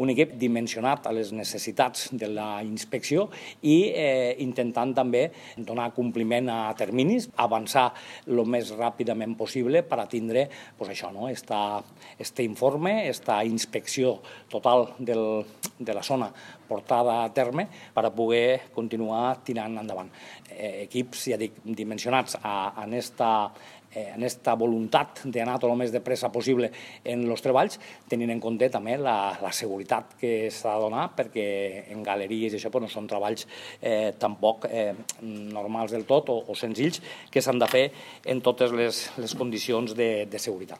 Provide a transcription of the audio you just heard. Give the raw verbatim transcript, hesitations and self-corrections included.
Un equip dimensionat a les necessitats de la inspecció i eh, intentant també donar compliment a terminis, avançar el més ràpidament possible per a tindre pues, això, no? esta, este informe, esta inspecció total del, de la zona portada a terme per a poder continuar tirant endavant. Eh, equips, ja dic, dimensionats a, a esta en aquesta voluntat d'anar tot el més de pressa possible en els treballs, tenint en compte també la, la seguretat que s'ha de donar, perquè en galeries i això pues, no són treballs eh, tampoc eh, normals del tot o, o senzills, que s'han de fer en totes les, les condicions de, de seguretat.